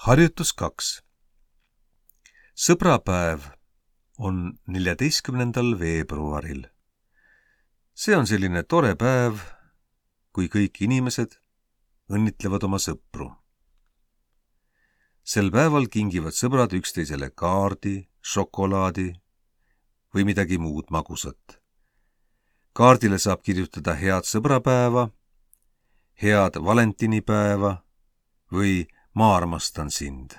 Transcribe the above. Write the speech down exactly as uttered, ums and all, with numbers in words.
Harjutus kaks. Sõbrapäev on neljateistkümnendal veebruaril. See on selline tore päev, kui kõik inimesed õnnitlevad oma sõpru. Sel päeval kingivad sõbrad üksteisele kaardi, šokolaadi või midagi muud magusat. Kaardile saab kirjutada head sõbrapäeva, head valentinipäeva või ma armastan sind.